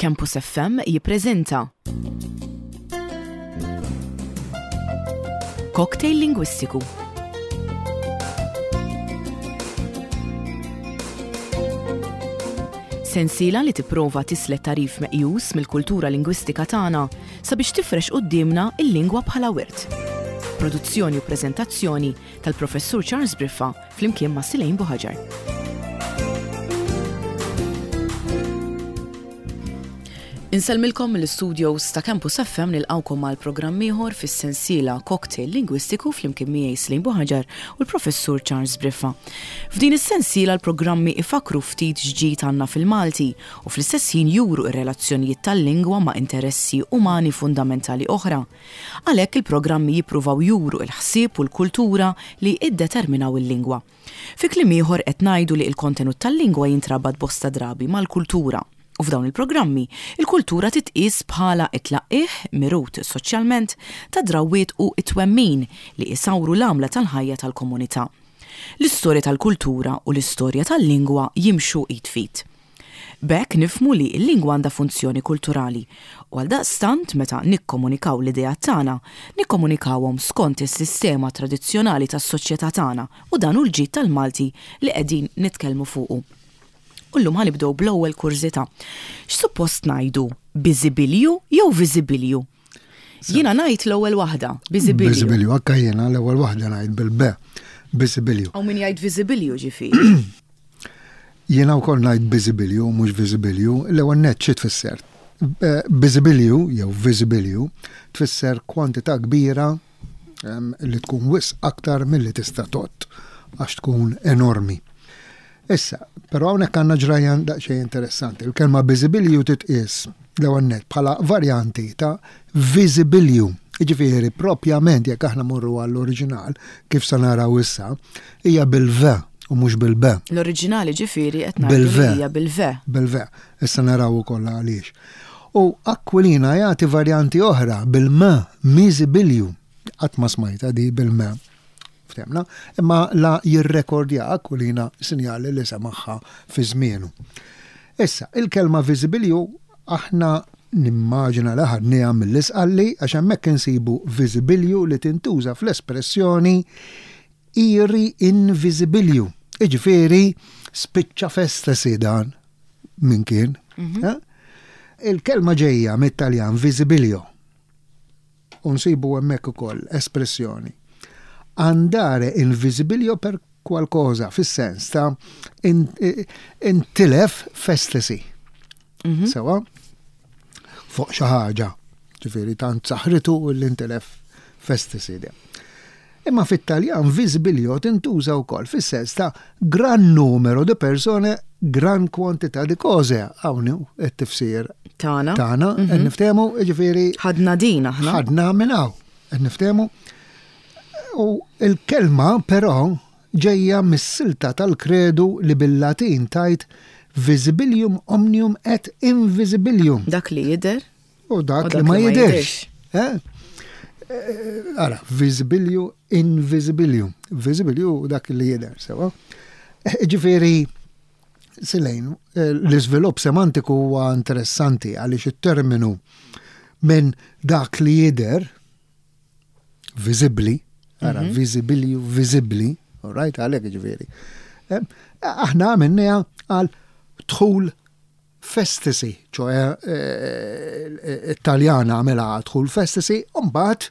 Campus FM jippreżenta Cocktail Lingwistiku. Sensiela li tipprova tislet tagħrif meqjus mill-kultura lingwistika tagħna sabiex tifrex quddiemna l-lingwa bħala wirt. Produzzjoni u preżentazzjoni tal-Professur Charles Briffa flimkien ma' Silejn Buħaġar. Insellmilkom mill-istudios ta' Campus FM nilqawkom għal programm ieħor fis-sensiela Cocktail Lingwistiku flimkien miegħi Slim Buħaġar u l-Professur Charles Briffa. F'din is-sensiela l-programmi ifakru ftit x'ġid għandna fil-Malti u fl-istess ħin juru r-relazzjonijiet tal-lingwa ma' interessi umani fundamentali oħra. Għalhekk il-programmi jippruvaw juru l-ħsieb u l-kultura li iddeterminaw il-lingwa. Fi kliem ieħor qed ngħidu li l-kontenut tal-lingwa jintrabat bosta drabi mal-kultura. U f'dawn il-programmi, il-kultura titqies bħala t-tlaqqigħ, mirut soċjalment, tad-drawwiet u t-twemmin li isawru l-għamla tal-ħajja tal-komunità. L-istorja tal-kultura u l-istorja tal-lingwa jimxu id f'id. B'hekk nifhmu li l-lingwa għandha funzjoni kulturali u għaldaqstant meta nikkomunikaw l-ideat tagħna, nikkomunikawhom skont is-sistema tradizzjonali tas-soċjetà tagħna u dan hu l-ġid tal-Malti li qegħdin nitkellmu fuqu. U llum ħa nibdew bl-ewwel kurżità. X'suppost ngħidu, biżibilju jew viżibilju? Jiena ngħid l-ewwel waħda, biżibilju. Biżibilju, anke jiena l-ewwel waħda ngħid bil-B, biżibilju. Hawn min jgħid viżibilju ġifieri. Jiena wkoll ngħid biżibilju mhux viżibilju, l-ewwel nett xi tfisser? Eh, biżibilju jew viżibilju tfisser kwantità kbira ehm, li tkun wisq aktar milli tista' tott għax tkun enormi. Issa, però hawnhekk għandna ġrajja daqsxejn interessanti. Il-kelma biżibilju titqies l-ewwel nett bħala varjanti ta' viżibilju. Jiġifieri propjament jekk aħna morru għall-oriġinal, kif se naraw issa, hija bil-V u mhux bil-B. L-oriġinali ġifieri qed ngħidu li hija bil-V. Bil-V. Issa naraw ukoll għaliex. U Aquilina jagħti varjanti oħra bil-M, miżibilju. Qatt ma smajtha di bil-M. Ftemna, imma la jirrekordja Aquilina sinjali li semagħha fi żmienu. Issa, il-kelma viżibilju aħna nimmaġina li ħadniha mill-Isqalli għax hemmhekk insibu viżibilju li tintuża fl-espressjoni iri in visibilju. Jiġifieri spiċċa f'estasi dan min kien. Mhm. Eh? Il-kelma ġejja mit-Taljan visibilio. U nsibu hemmhekk ukoll espressjoni andare in visibilio per qualcosa, fis-sens ta' intilef f'estasi. Mhm. Sewa? Fuq xi ħaġa. Ġifieri tant saħritu li intilef f'estasi. Imma fit-Taljan visibilio tintuża wkoll fis-sens ta' gran numero di persone, gran kwantità di cose. Hawn hu t-tifsir tagħna. Tagħna, qed mhm. niftehmu, jiġifieri. Ħadna din aħna. Ħadna minn hawn, qed niftehmu. U l-kelma però ġejja mis-silta tal-kredu li bil-Latin tgħid visibilium omnium et invisibilium. Dak li jidher. U dak li ma jidherx. Eh? Eh, ara, visibilium, invisibilium. Visibilium dak li jidher, sewa. Eh, ġifieri, Silejn, l-iżvilupp semantiku huwa interessanti għaliex it-terminu minn dak li jidher viżibbli, ara mhm. viżibilju viżibbli, all right, għalhekk ġifieri. Eh, aħna għamilniha għal dħul f'estasi, ċoe eh, it-Taljana għamilha dħul f'estasi, u mbagħad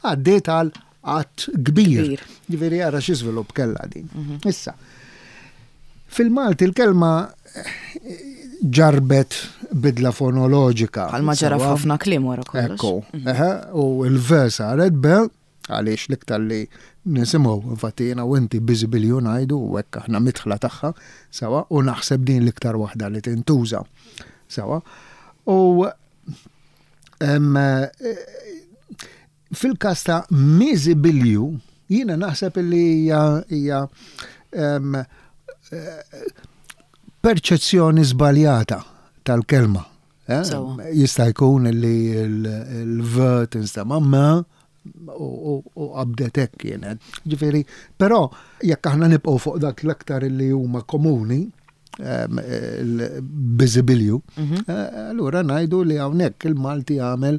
għaddiet għal għadd kbir. Ġifieri ara xi żvilupp kellha din. Mhm. Issa, fil-Malti l-kelma eh, ġarbet bidla fonoloġika. Bħalma ġara f'ħafna kliem wara kollox. Ekku, mhm. u l-v saret be, għaliex l-iktar li nisimgħu, infatti jiena u inti biżibilju ngħidu u hekk aħna midħla tagħha, sewa, u naħseb din l-iktar waħda li tintuża. Sewa. U fil-każ ta' miżibilju, jiena naħseb li hija hija perċezzjoni żbaljata tal-kelma. Eh? Jista' jkun li l-v tinstema' m u qabdet hekk kienet. Ġifieri, però jekk aħna nibqgħu fuq dak l-aktar li huma komuni. Il-biżibilju, allura ngħidu li hawnhekk il-Malti għamel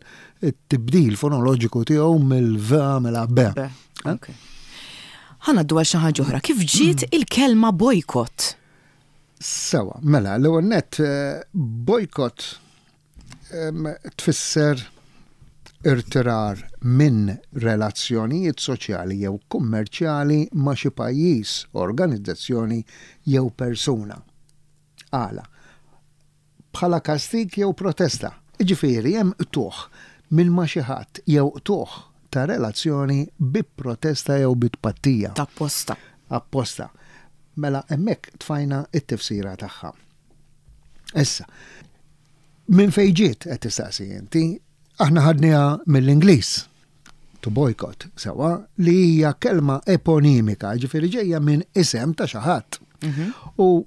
it-tibdil fonoloġiku tiegħu mill-V għamela B. Ħa ngħaddu għal xi ħaġa oħra. Kif ġiet il-kelma bojkott? Sewa, mela, l-ewwel nett bojkott tfisser irtirar minn relazzjonijiet soċjali jew kummerċjali ma' xi pajjiż, organizzazzjoni jew persuna. Għala? Bħala kastig jew protesta. Jiġifieri hemm qtugħ minn ma' xi ħadd jew qtugħ ta' relazzjoni bi protesta jew bi tpattija. Ta' apposta. Apposta. Mela hemmhekk tfajna t-tifsira tagħha. Issa, minn fejn ġiet qed tistaqsi inti, aħna ħadniha mill-Ingliż, to boycott, sewwa, li hija kelma eponimika, ġifieri ġejja minn isem ta' xi ħadd. U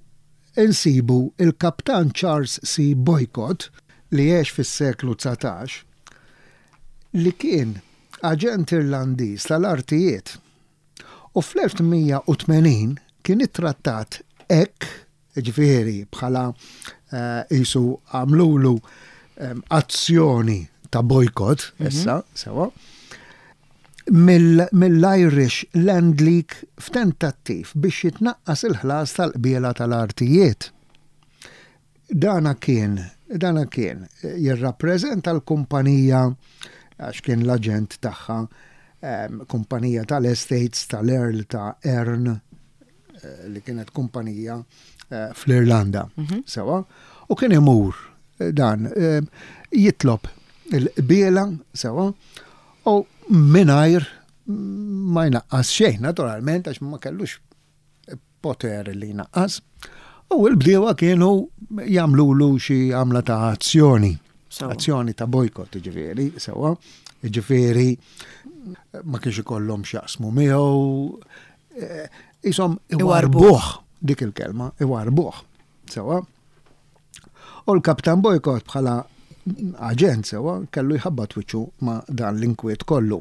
insibu il-Kaptan Charles C. Boycott li għex fis-seklu 19 li kien aġent Irlandiż tal-artijiet u fl-1880 kien ittrattat hekk jiġifieri bħala qisu għamlulu azzjoni ta' bojkott issa, sewa, mill-Irish Land League f'tentattiv biex jitnaqqas il-ħlas tal-qbiela tal-artijiet. Dana kien, dana kien jirrappreżenta l-kumpanija għax kien l-aġent tagħha, kumpanija tal-estates tal-Earl ta' Erne, li kienet kumpanija fl-Irlanda. Sewa, u kien imur dan jitlob il-qbiela, sewa, u mingħajr ma jnaqqas xejn, naturalment, għax ma kellux poter li jnaqqas. U l-bdiewa kienu jagħmlulu xi għamla ta' azzjoni. Azzjoni ta' bojkott, ġifieri, sewa, ġifieri ma kienx ikollhom x'jaqsmu miegħu, Isom iwarbuh dik il-kelma, iwarbuh. Sewa. U l-Kaptan Bojkot bħala aġent sewa kellu jħabbat wiċċu ma' dan l-inkwiet kollu.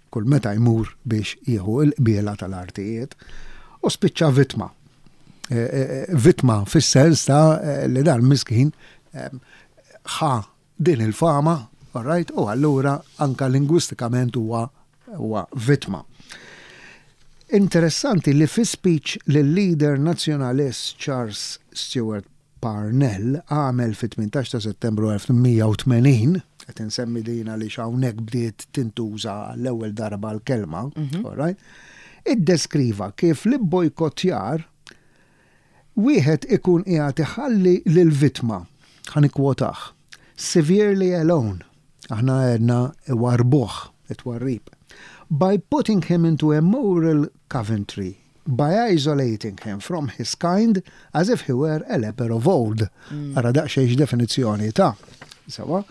Kull meta jmur biex jieħu l-qbiela tal-artijiet u spiċċa vittma. E, e, e, vittma fis-sens ta' li dan miskin ħa din il-fama, all right, u allura anka lingwistikament huwa huwa vittma. Interessanti li fi speech li l-leader nazzjonalist Charles Stewart Parnell għamel fit-18 ta' Settembru 1880, qed insemmi din għaliex hawnhekk bdiet tintuża għall-ewwel darba l-kelma, all right, iddeskriva kif l-ibbojkottjar Wieħed ikun qiegħed iħalli lill-vittma, ħa nikkwotah, severely alone, aħna għedna iwarrbuh, it-twarrib, by putting him into a moral coventry, by isolating him from his kind as if he were a leper of old. Ara daqsxejn x'definizzjoni ta'. Sewwa?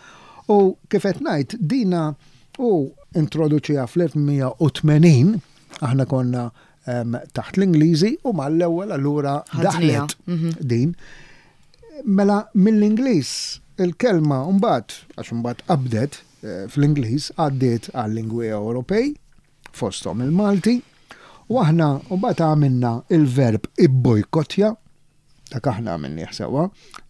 U kif qed ngħid, dina hu introduċiha fl-1880, aħna konna taħt l-Ingliżi u mal-ewwel allura daħlet mhm. din. Mela mill-Ingliż il-kelma mbagħad għax mbagħad qabdet eh, fl-Ingliż għaddiet għal-lingwi Ewropej fosthom il-Malti u aħna mbagħad għamilna il-verb ibbojkottja Dak aħna għamilnieh sewwa,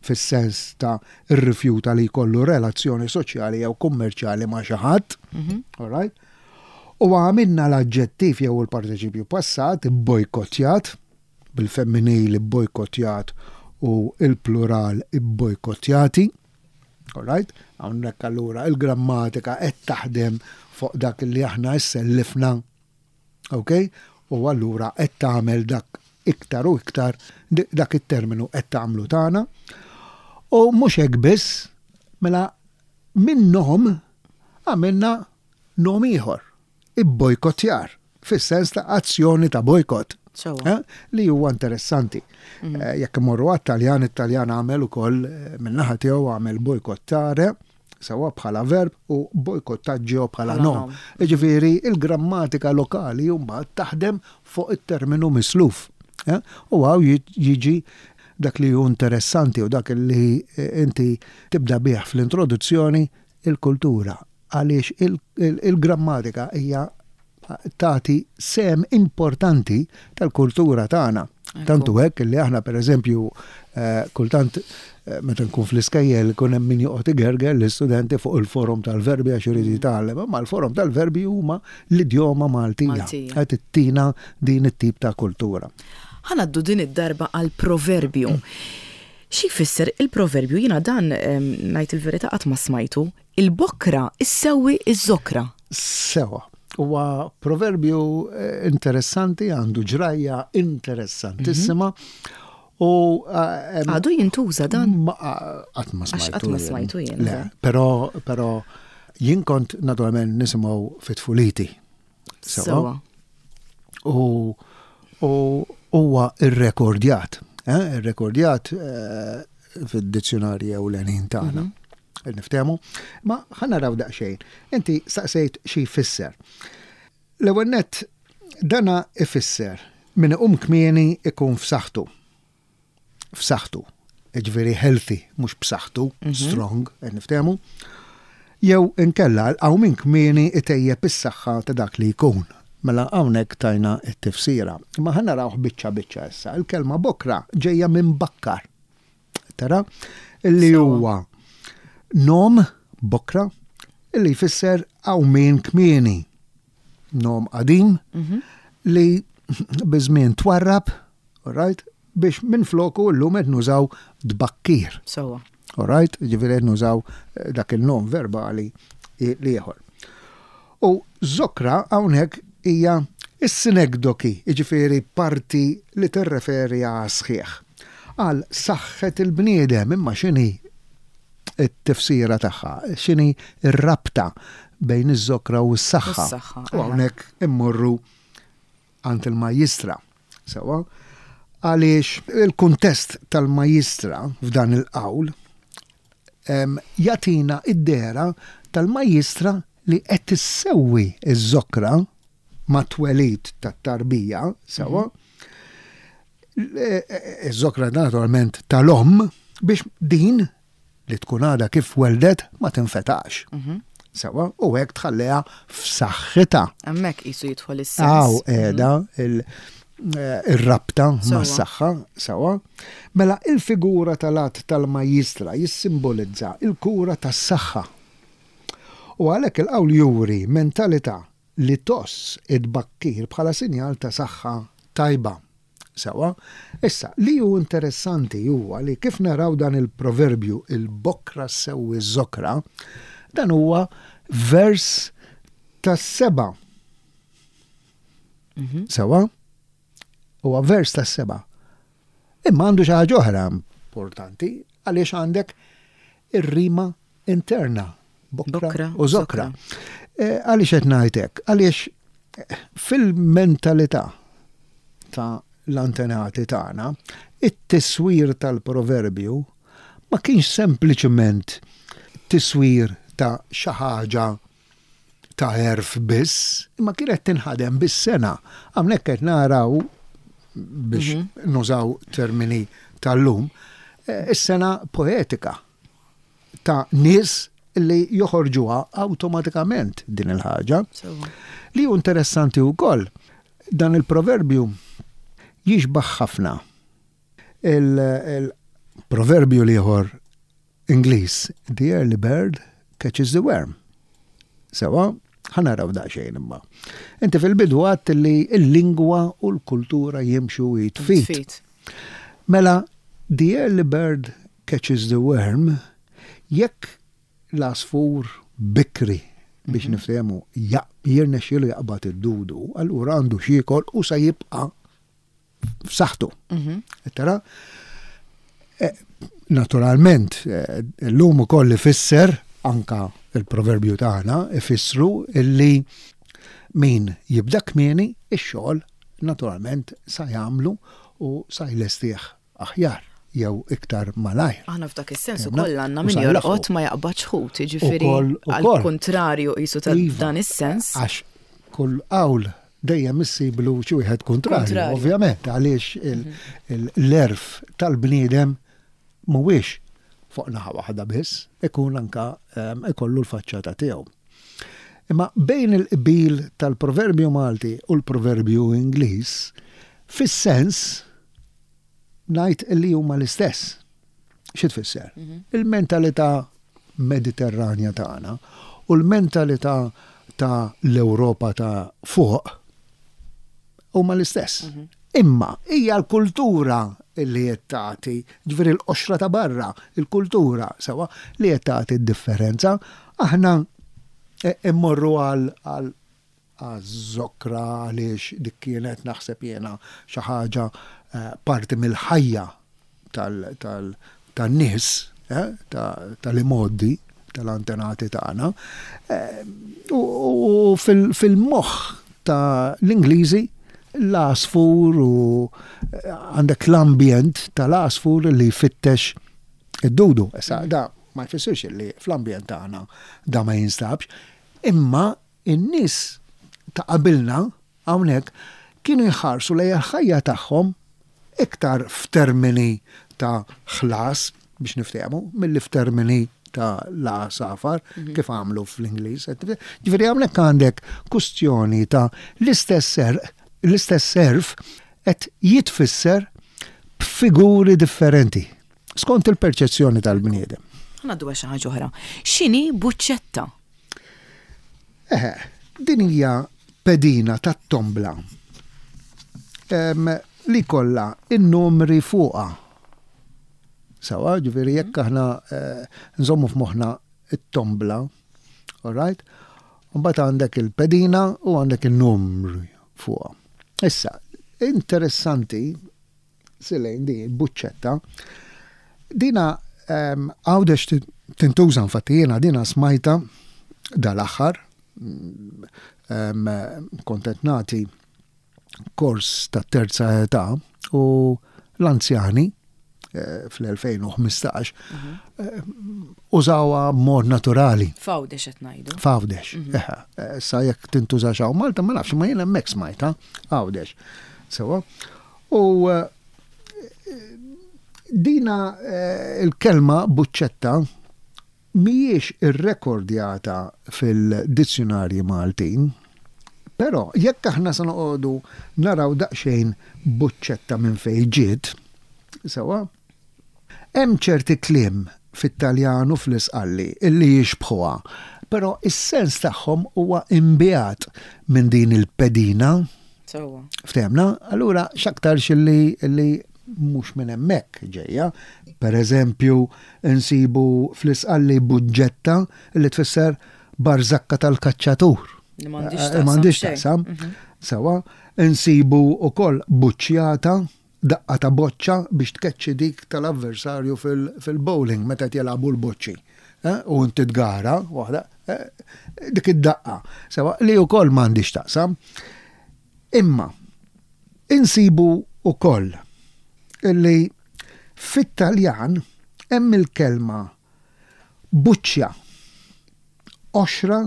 fis-sens ta' rrifjuta li jkollu relazzjoni soċjali jew kummerċjali ma' xi ħadd. Mhm. All right? U għamilna l-aġġettiv jew il-partiċipju passat ibbojkottjat, bil-femminil ibbojkottjat u il-plural ibbojkottjati. All right? Hawnhekk allura il-grammatika qed taħdem fuq dak li aħna issellifna Ok? U allura qed tagħmel dak iktar u iktar dak it-terminu qed tagħmlu tagħna. U mhux hekk biss, mela minn nom għamilna nom ieħor, ibbojkottjar, fis-sens ta' azzjoni ta' bojkott. Eh? Li huwa interessanti. Mhm. Eh, jekk imorru għat-Taljan, it-Taljan għamel ukoll eh, min-naħa tiegħu għamel bojkottare sewwa bħala verb u bojkottaggio bħala nom. Jiġifieri il-grammatika lokali mbagħad taħdem fuq it-terminu misluf. Eh? U hawn jiġi dak li hu interessanti u dak li eh, inti tibda bih fl-introduzzjoni il-kultura għaliex il-grammatika hija tagħti sehem importanti tal-kultura tagħna. Tantu hekk li aħna pereżempju Kultant meta nkun fl-iskejjel ikun hemm min joqgħod igerger l-istudenti fuq il-forom tal-verbi għax irid jitgħallem, imma l-forom tal-verbi huma l-idjoma Maltija. Qed ittina din it-tip ta' kultura. Ħa ngħaddu din id-darba għall-proverbju. Xi jfisser il-proverbju? Jiena dan ngħid il-verità qatt ma smajtu. Il-bokra issewwi ż-żokra. Sewa. Huwa proverbju interessanti, għandu ġrajja interessantissima. U għadu jintuża dan? Qatt ma smajtu. Qatt ma smajtu jien. Le, però però jien kont naturalment nisimgħu fit-tfuliti. Sewa. U huwa irrekordjat, eh, irrekordjat eh, fid-dizzjonarji ewlenin tagħna. Mhm. Niftehmu. Ma ħa naraw daqsxejn. Inti saqsejt xi jfisser. L-ewwel nett dana ifisser min iqum kmieni ikun f'saħħtu. F'saħħtu. Jiġifieri healthy, mhux b'saħħtu, mhm. strong, qed niftehmu. Jew inkella l-qawmien kmieni itejjeb is-saħħa ta' dak li jkun. Mela hawnhekk tajna t-tifsira. Imma ħa narawh biċċa biċċa issa. Il-kelma bokra ġejja minn bakkar. Tara? Illi huwa nom bokra illi jfisser qawmien kmieni. Nom qadim mhm. li biż-żmien twarrab, right? Biex minn floku llum qed nużaw tbakkir. Sewa. All right? Ġifieri qed nużaw eh, dak il-nom verbali ieħor. U zokra hawnhekk hija is-sinekdoki, jiġifieri parti li tirreferi għas-sħiħ. Għal saħħet il-bniedem, imma x'inhi t-tifsira tagħha, x'inhi r-rabta bejn iż-żokra u s-saħħa. U hawnhekk immorru għand il-majjistra. Sewwa? Għaliex il-kuntest tal-majjistra f'dan il-qawl jagħtina id-dehra tal-majjistra li qed issewwi ż-żokra mat-twelid tat-tarbija, sewwa? Iż-żokra naturalment tal-omm biex din li tkun għadha kif weldet ma tinfetax. Mhm. Sewa, u hekk tħalliha f'saħħitha. Hemmhekk qisu jidħol is-sens. Aw qiegħda mhm. eh, ir-rabta mas-saħħa, sewa. Mela il-figura tal-att tal-majjistra jissimbolizza il-kura tas-saħħa. U għalhekk il-qawl juri mentalità li tgħożż it-tbakkir bħala sinjal ta' saħħa tajba. Sewwa? Issa, li hu interessanti huwa li kif naraw dan il-proverbju il-bokra ssewwi ż-żokra, dan huwa vers tas-seba'. Mhm. Sewwa? Huwa vers tas-seba'. Imma għandu xi ħaġa oħra importanti għaliex għandek ir-rima interna, bokra u zokra. Eh, għaliex qed ngħid hekk? Għaliex eh, fil-mentalità ta' l-antenati tagħna, it-tiswir tal-proverbju ma kienx sempliċement tiswir ta' xi ħaġa ta' għerf biss, imma kienet tinħadem bis-sengħa. Hawnhekk qed naraw biex mhm. nużaw termini tal-lum, eh, is-sena poetika ta' nies li joħorġuha awtomatikament din il-ħaġa. Li hu interessanti wkoll, dan il-proverbju jixbaħ ħafna il-proverbju l-ieħor Ingliż, The early bird catches the worm. Sewa, ħa naraw daqsxejn imma. Inti fil-bidu għadt li l-lingwa u l-kultura jimxu id f'id. Mela, the early bird catches the worm, jekk l-għasfur bikri biex mhm. niftehmu jirnexxielu jaqbad id-dudu, allura għandu x'jiekol u se jibqa' f'saħħtu. Mhm. Tara? Eh, naturalment, eh, l-lum ukoll ifisser anka il-proverbju tagħna ifissru illi min jibda kmieni ix-xogħol naturalment sa jagħmlu u sa jlestih aħjar jew iktar malajr. Aħna f'dak is-sens ukoll għandna min jorqod ma jaqbadx ħut, jiġifieri għall-kuntrarju qisu ta' iva, dan is-sens. Għax kull qawl dejjem issiblu xi wieħed kuntrarju, ovvjament, għaliex mhm. l-erf tal-bniedem mhuwiex fuq naħa waħda biss, ikun anka ehm, ikollu l-faċċata tiegħu. Imma bejn il-qbil tal-proverbju Malti u l-proverbju Ingliż, fis-sens. ngħid li huma l-istess. Xi tfisser? Mhm. Il-mentalità Mediterranja tagħna u l-mentalità ta' l-Ewropa ta' fuq huma l-istess. Mhm. Imma hija l-kultura li qed tagħti, ġifieri l-qoxra ta' barra, il-kultura sewa li qed tagħti d-differenza. Aħna e, immorru għal għaż-żokra għaliex dik kienet naħseb jiena xi ħaġa parti mill-ħajja tan-nies tal-imgħoddi tal-antenati tagħna. U fil-moħħ ta' l-Ingliżi l-għasfur u għandek l-ambjent tal-għasfur li jfittex id-dudu. Issa da ma jfissirx li fl-ambjent tagħna da ma jinstabx, imma In-nies ta' qabilna hawnhekk kienu jħarsu lejn il-ħajja tagħhom iktar f'termini ta' ħlas, biex niftehmu, milli f'termini ta' l-għasafar, kif għamlu fl-Ingliż. Ġifieri hawnhekk għandek kustjoni ta' l-istess serq, l-istess għerf qed jitfisser b'figuri differenti, skont il-perċezzjoni tal-bniedem. Ħa ngħaddu għal xi ħaġa oħra. X'inhi buċċetta? Eħe, din hija pedina tat-tombla li jkollha n-numri fuqha. Sawa, ġifieri jekk aħna eh, nżommu f'moħħna it-tombla, all right? Mbagħad għandek il-pedina u għandek in-numri fuqha. Issa, interessanti Silejn di buċċetta. Dina ehm, għawdex tintuża infatti jiena dina smajta dal-aħħar ehm, kont qed nagħti kors ta' terza età u l-anzjani eh, fl-2015 mhm. eh, użawha mod naturali. Fawdex qed ngħidu. Fawdex. Mhm. Eh, sa jekk tintuża xaw Malta ma nafx ma jiena hemmhekk smajta Għawdex. Sewa. U dina il-kelma buċċetta mhijiex irrekordjata fil-dizzjunarji Maltin, però jekk aħna se noqogħdu naraw daqsxejn buċċetta minn fejn ġiet, sewwa, Hemm ċerti kliem fit-Taljan u fl-Isqalli li jixbħuha, però s-sens tagħhom huwa imbiegħed minn din il-pedina. Sewwa. Ftehmna? Allura x'aktarx li li mhux minn hemmhekk ġejja. Per eżempju, insibu fl-Isqalli buġġetta li tfisser barżakka tal-kaċċatur. Li m'għandhiex taqsam. M'għandhiex taqsam. Sewwa. Insibu wkoll buċċjata Daqqa ta' boċċa biex tkeċċi dik tal-avversarju fil-bowling meta qed jilagħbu l-boċċi. U inti tgara waħda, dik id-daqqa. Sewa li wkoll m'għandix taqsam. Imma insibu wkoll illi fit-Taljan hemm il-kelma buċċja, qoxra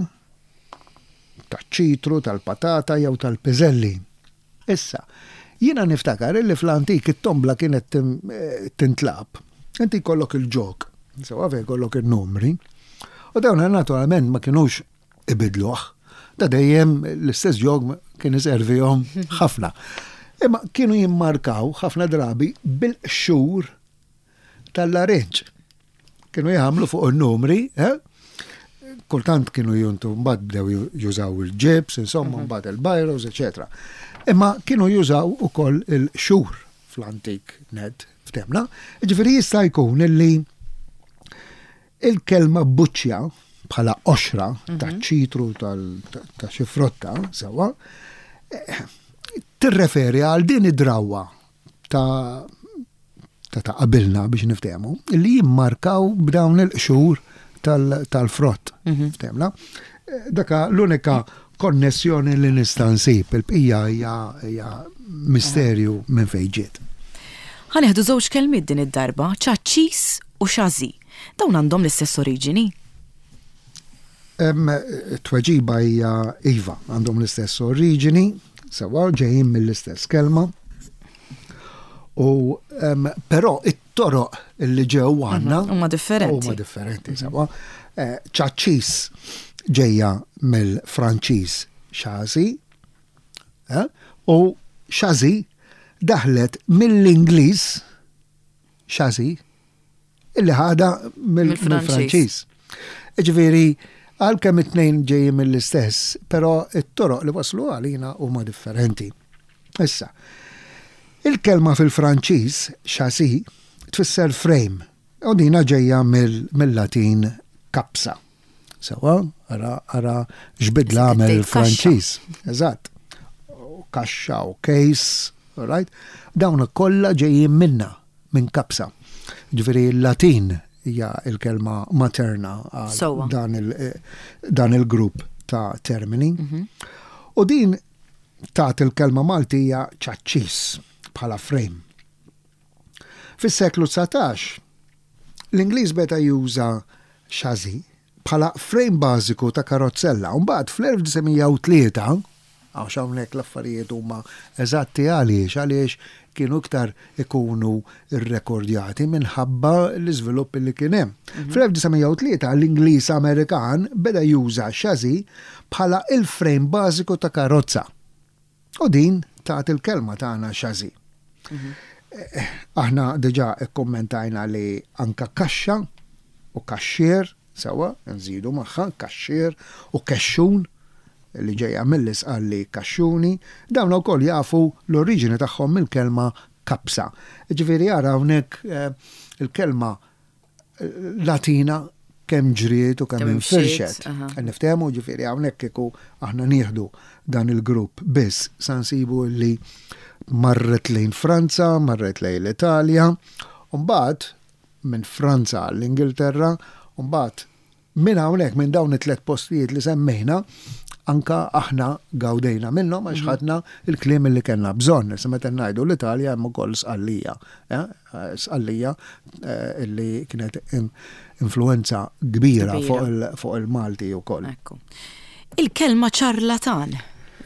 taċ-ċitru, tal-patata jew tal-piżelli. Issa, jiena niftakar illi fl-antik it-tombla kienet tintlagħab. Inti jkollok il-ġog, sewwa fejn jkollok in-numri, u dawn naturalment ma kinux ibidluh. Da dejjem l-istess ġog kien iservihom ħafna. Imma kienu jimmarkaw ħafna drabi bil-qxur tal-larinġ. Kienu jagħmlu fuq in-numri, eh? kultant kienu juntu mbagħad bdew jużaw il-ġibs, insomma, mhm. mbagħad il-bajros, eċetera. Imma kienu jużaw ukoll il-xur fl-antik net ftemna. Ġifieri jista' jkun illi il-kelma buċċja bħala qoxra mhm. ta' ċitru ta' xi frotta sewwa eh, tirreferi għal din id-drawwa ta' ta' ta' qabilna biex niftehmu, li jimmarkaw b'dawn il-qxur tal-frott. Mhm. Ftehmna? Eh, daka l-unika konnessjoni li nista' nsib, il-bqija hija misterju minn fejn ġiet. Ħanieħdu żewġ kelmiet din id-darba, ċaċċis u xażi. Dawn għandhom l-istess oriġini? Tweġiba hija iva, għandhom l-istess oriġini, sewa ġejjin mill-istess kelma. U però it-toroq li ġew mhm, għandna huma differenti. Huma differenti, mhm. sewa. Eh, ċaċċis ġejja mill-Franċiż xazi eh, u xazi daħlet mill-Ingliż. chassis illi ħadha mill-Franċiż. Ġifieri, għalkemm it-tnejn ġejjin mill-istess, però it-toroq li waslu għalina huma differenti. Issa, il-kelma fil-Franċiż chassis tfisser frame u dina ġejja mill-Latin capsa. Sewa, ara, ara x'bidla għamel il-Franċiż. Eżatt. Kaxxa u case, right? Dawn kollha ġejjin minna, minn kapsa. Ġifieri l-Latin hija l-kelma materna għal dan, il, dan il-grupp ta' termini. Mhm. U din tat il-kelma Maltija ċaċċis bħala frame. Fis-seklu 19, l-Ingliż beda juża chassis bħala frame bażiku ta' karozzella u mbagħad fl-1903, għax hawnhekk l-affarijiet huma eżatti għaliex, għaliex kienu iktar ikunu rrekordjati minħabba l-iżvilupp li kien hemm. Fl-1903 l-Ingliż Amerikan beda juża chassis bħala il-frame bażiku ta' karozza. U din tat il-kelma tagħna chassis. Aħna diġà kkummentajna li anka kaxxa u kaxxier, sewwa, nżidu magħha kaxxier u kexxun li ġejja mill-Isqalli kaxxuni, dawn ukoll jafu l-oriġini tagħhom mill-kelma kapsa. Ġifieri ara hawnhekk il-kelma Latina kemm ġriet u kemm infirxet. Niftehmu ġifieri hawnhekk kieku aħna nieħdu dan il-grupp biss sa nsibu li marret lejn Franza, marret lejn l-Italja, u mbagħad minn Franza għall-Ingilterra, u mbagħad Minn hawnhekk, minn dawn it-tlett postijiet li semmejna, anka aħna gawdejna minnhom għax ħadna l-kliem li kellna bżonn. Issa meta ngħidu l-Italja hemm ukoll Sqallija, Sqallija li kienet influwenza kbira fuq il-Malti wkoll. Ekku. Il-kelma ċarlatan,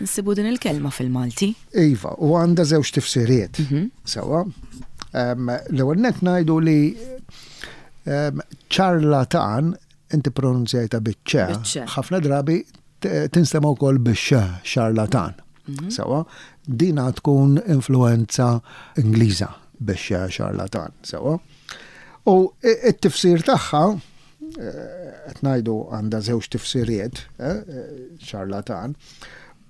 insibu din il-kelma fil-Malti. Iva, u għandha żewġ tifsiriet. Sewwa. L-ewwel nett ngħidu li Ċarlatan, inti pronunzjajta biċ-ċe, ħafna drabi tinstema' wkoll bix-x, xarlatan. Mhm. Sewa, dina tkun influenza Ingliża bix-x, xarlatan, sewa. U it-tifsir tagħha, eh, qed ngħidu għandha żewġ tifsiriet, eh, xarlatan,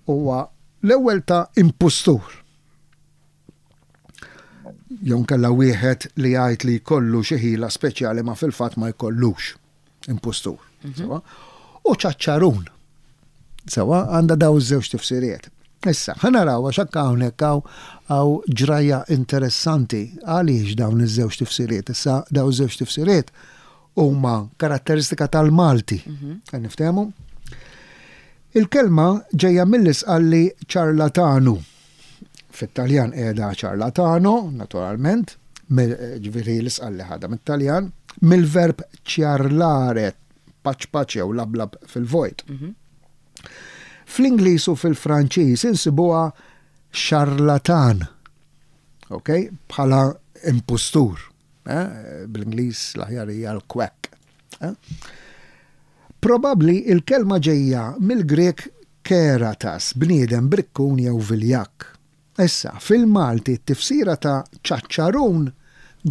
huwa l-ewwel ta' impustur. Jew inkella wieħed li jgħid li jkollu xi ħila speċjali ma fil-fatt ma jkollux impustur. Mhm. Sewa? U ċaċċarun. Sewa għandha daw iż-żewġ tifsiriet. Issa, ħa naraw għax anke hawnhekk hawn ġrajja interessanti għaliex dawn iż-żewġ tifsiriet. Issa daw iż-żewġ tifsiriet huma karatteristika tal-Malti. Mhm. Niftehmu? Il-kelma ġejja mill-isqalli ċarlatanu. Fit-Taljan qiegħda ciarlatano, naturalment, ġifieri l-isqalli ħadha mit-Taljan, mill-verb ciarlare, paċ paċ jew lablab fil-vojt. Mhm. Fl-Ingliż u fil-Franċiż insibuha charlatan, ok, bħala impustur. Eh? Bl-Ingliż l-aħjar hija l-quack. Eh? Probabbli il-kelma ġejja mill-Grieg keratas, bniedem brikkun jew viljakk. Issa, fil-Malti t-tifsira ta' ċaċċarun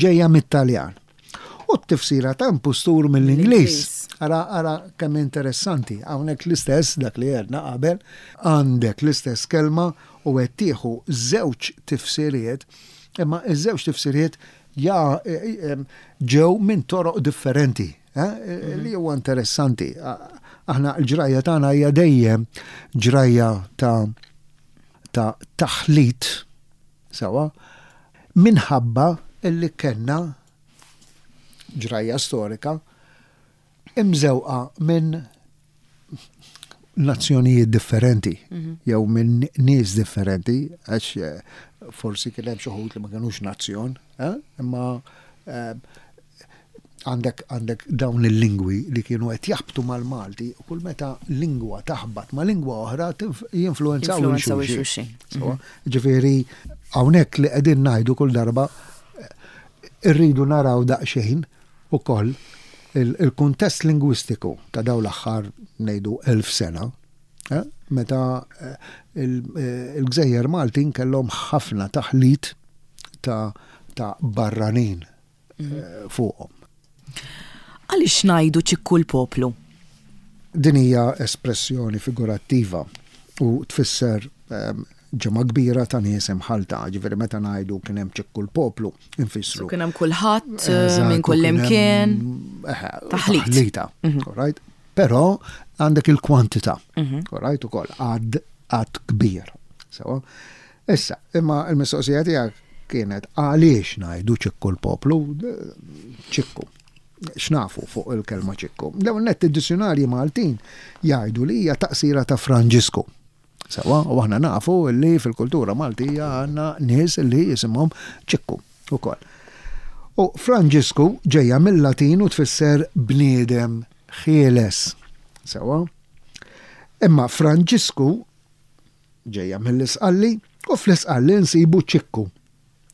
ġejja mit-Taljan u t-tifsira ta' impustur mill-Ingliż. Ara, ara kemm interessanti, hawnhekk l-istess dak li għedna qabel, għandek l-istess kelma u qed tieħu żewġ tifsiriet, imma ż-żewġ tifsiriet ja ġew minn toroq differenti. Eh, li huwa interessanti. Aħna l-ġrajja tagħna hija dejjem ġrajja ta' ta' taħlit sewa minħabba illi kellna ġrajja storika imżewqa minn nazzjonijiet differenti mhm. jew minn nies differenti għax eh, forsi kien hemm xi li ma kinux nazzjon, eh, imma eh, għandek għandek dawn il-lingwi li kienu qed jaħbtu mal-Malti u kull meta lingwa taħbat ma' lingwa oħra jinfluwenzaw il-xulxin. Mhm. Ġifieri hawnhekk li qegħdin ngħidu kull darba irridu naraw daqsxejn ukoll il-kuntest lingwistiku ta' dawn l-aħħar ngħidu 1000 sena, eh, meta eh, eh, il-gżejjer Maltin kellhom ħafna taħlit ta' barranin. mhm. fuqhom. Għaliex ngħidu ċikku l-poplu? Din hija espressjoni figurattiva u tfisser ehm, ġemgħa kbira ta' nies imħallta, ġifieri meta ngħidu kien hemm ċikku l-poplu, infissru. Kien hemm kulħadd eh, minn kull imkien. Taħlit. Taħlita, mhm. right? Però għandek il-kwantità, mhm. right ukoll għad għad kbir. Sewa. Issa, imma il-mistoqsija tiegħek kienet għaliex ngħidu ċikku l-poplu, ċikku. X'nafu fuq il-kelma ċikku? L-ewwel nett id-dizzjunarji Maltin jgħidu li hija taqsira ta' Franġisku. Sewwa, u aħna nafu li fil-kultura Maltija għandna nies li jisimhom Ċikku ukoll. U Franġisku ġejja mill-Latin u tfisser bniedem ħieles. Sewwa? Imma Franġisku ġejja mill-Isqalli u fl-Isqalli nsibu Ċikku.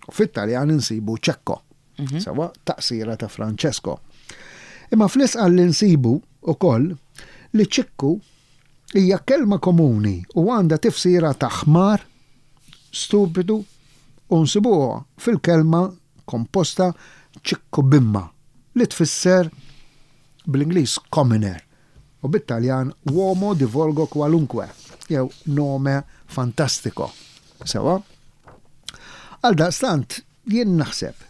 U fit-Taljan insibu Ċekko. Mhm. Sewwa, taqsira ta' Francesco. Imma fl-Isqalli nsibu ukoll li Ċikku Hija kelma komuni u għandha tifsira ta' ħmar, stupidu u nsibuha fil-kelma komposta ċikkubimma li tfisser bl-Ingliż commoner u bit-Taljan uomo di volgo qualunque jew nome fantastico. Sewwa? Għaldaqstant, Jien naħseb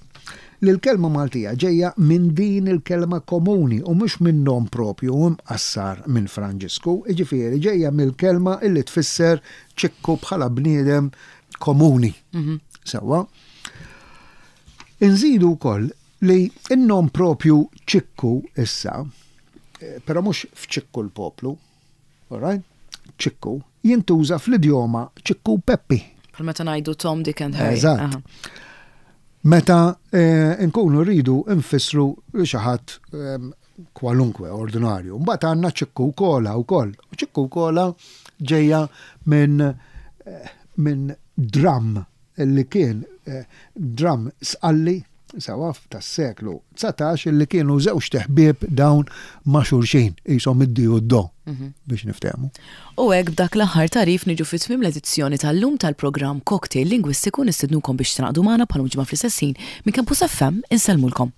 li l-kelma Maltija ġejja minn din il-kelma komuni u mhux minn nom proprju u mqassar minn Franġisku, jiġifieri ġejja mill-kelma illi tfisser ċikku bħala bniedem komuni. Sewwa? Inżidu wkoll li n-nom proprju Ċikku issa, però mhux f'Ċikku l-poplu, All right? Ċikku jintuża fl-idjoma Ċikku Peppi. Bħal meta ngħidu Tom, Dick and Harry. Eżatt. Meta eh, nkunu rridu nfissru xi ħadd ehm, kwalunkwe ordinarju. Mbagħad għandna ċikku kola wkoll. Ċikku kola ġejja minn eh, minn dram li kien dramm Sqalli, sewwa, tas-seklu 19 li kienu żewġt iħbieb dawn ma' xulxin, qishom id-di u d-do, biex niftehmu. U hekk b'dak l-aħħar tagħrif niġu fi tmiem l-edizzjoni tal-lum tal-programm Cocktail Lingwistiku nistednukom biex tingħaqdu magħna bħal ġimgħa fl-istess ħin minn Campus FM insellmulkom.